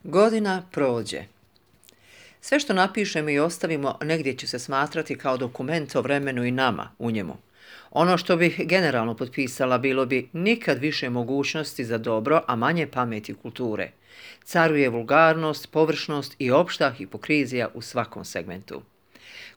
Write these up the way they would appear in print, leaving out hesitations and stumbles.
Godina prođe. Sve što napišemo i ostavimo negdje će se smatrati kao dokument o vremenu i nama u njemu. Ono što bih generalno potpisala bilo bi nikad više mogućnosti za dobro, a manje pameti i kulture. Caruje vulgarnost, površnost i opšta hipokrizija u svakom segmentu.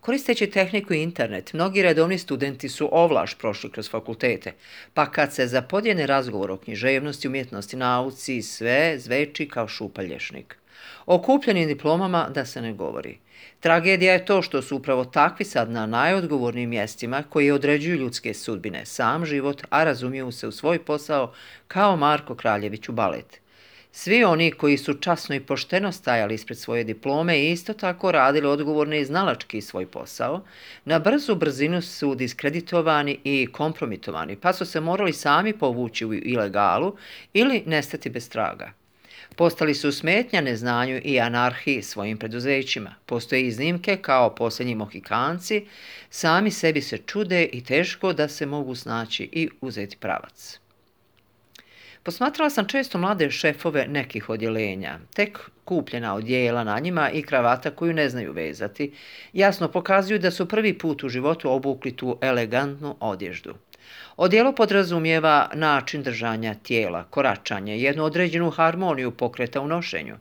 Koristeći tehniku i internet, mnogi redovni studenti su ovlaš prošli kroz fakultete, pa kad se zapodjene razgovor o književnosti, umjetnosti, nauci, sve zveči kao šupalješnik. O kupljenim diplomama da se ne govori. Tragedija je to što su upravo takvi sad na najodgovornijim mjestima koji određuju ljudske sudbine, sam život, a razumiju se u svoj posao kao Marko Kraljević u balet. Svi oni koji su časno i pošteno stajali ispred svoje diplome i isto tako radili odgovorno i znalački svoj posao, na brzu brzinu su diskreditovani i kompromitovani, pa su se morali sami povući u ilegalu ili nestati bez traga. Postali su smetnja neznanju i anarhiji svojim preduzećima. Postoje iznimke kao posljednji Mohikanci, sami sebi se čude i teško da se mogu snaći i uzeti pravac. Posmatrala sam često mlade šefove nekih odjeljenja, tek kupljena odjela na njima i kravata koju ne znaju vezati, jasno pokazuju da su prvi put u životu obukli tu elegantnu odježdu. Odijelo podrazumijeva način držanja tijela, koračanje, jednu određenu harmoniju pokreta u nošenju.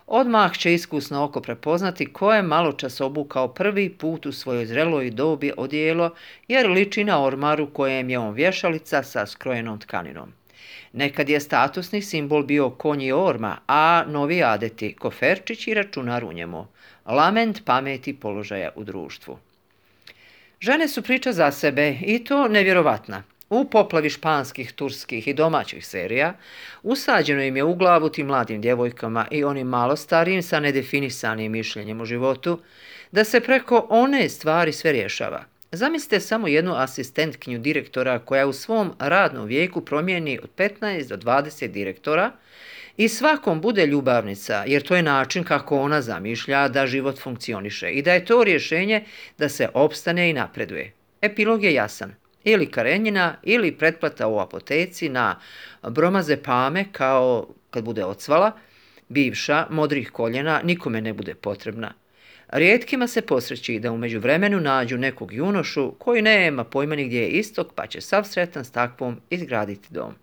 Odmah će iskusno oko prepoznati ko je maločas obukao prvi put u svojoj zreloj dobi odijelo, jer liči na ormaru kojem je on vješalica sa skrojenom tkaninom. Nekad je statusni simbol bio konj i orma, a novi adeti koferčić i računar u njemu. Lament pameti položaja u društvu. Žene su priča za sebe i to nevjerovatna. U poplavi španskih, turskih i domaćih serija usađeno im je u glavu tim mladim djevojkama i onim malo starijim sa nedefinisanim mišljenjem o životu, da se preko one stvari sve rješava. Zamislite samo jednu asistentkinju direktora koja u svom radnom vijeku promijeni od 15 do 20 direktora i svakom bude ljubavnica, jer to je način kako ona zamišlja da život funkcioniše i da je to rješenje da se opstane i napreduje. Epilog je jasan. Ili karenjina ili pretplata u apoteci na bromazepame kao kad bude ocvala, bivša, modrih koljena, nikome ne bude potrebna. Rijetkima se posreći da u međuvremenu nađu nekog junošu koji nema pojma ni gdje je istok, pa će sav sretan s takvom izgraditi dom.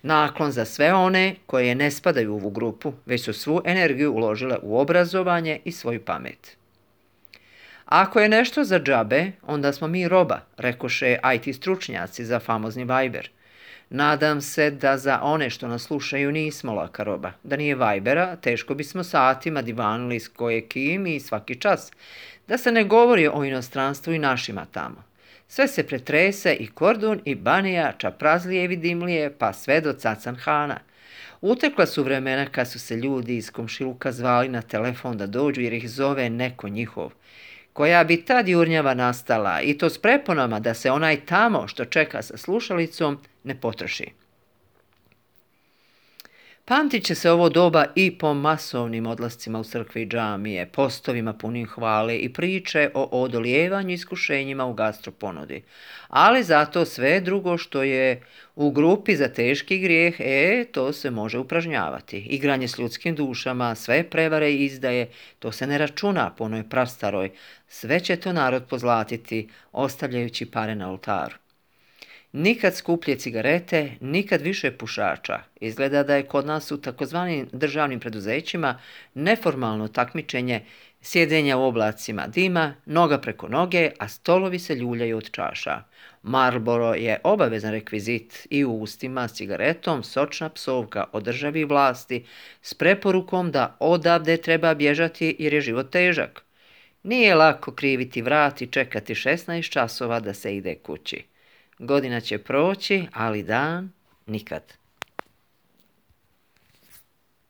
Naklon za sve one koje ne spadaju u ovu grupu, već su svu energiju uložile u obrazovanje i svoju pamet. Ako je nešto za džabe, onda smo mi roba, rekoše IT stručnjaci za famozni Viber. Nadam se da za one što nas slušaju nismo laka roba. Da nije Vibera, teško bismo satima divanili s kim i svaki čas. Da se ne govori o inostranstvu i našima tamo. Sve se pretrese i Kordun i Banija, čaprazlije i vidimlije, pa sve do Cacan Hana. Utekla su vremena kad su se ljudi iz komšiluka zvali na telefon da dođu jer ih zove neko njihov. Koja bi tad jurnjava nastala i to s preponama da se onaj tamo što čeka sa slušalicom ne potroši. Pamtit će se ovo doba i po masovnim odlascima u crkve i džamije, postovima punim hvale i priče o odolijevanju iskušenjima u gastroponudi. Ali zato sve drugo što je u grupi za teški grijeh, to se može upražnjavati. Igranje s ljudskim dušama, sve prevare i izdaje, to se ne računa po onoj prastaroj. Sve će to narod pozlatiti, ostavljajući pare na oltaru. Nikad skuplje cigarete, nikad više pušača. Izgleda da je kod nas u takozvanim državnim preduzećima neformalno takmičenje sjedenja u oblacima dima, noga preko noge, a stolovi se ljuljaju od čaša. Marlboro je obavezan rekvizit i u ustima s cigaretom sočna psovka o državi i vlasti s preporukom da odavde treba bježati jer je život težak. Nije lako kriviti vrat i čekati 16 časova da se ide kući. Godina će proći, ali dan nikad.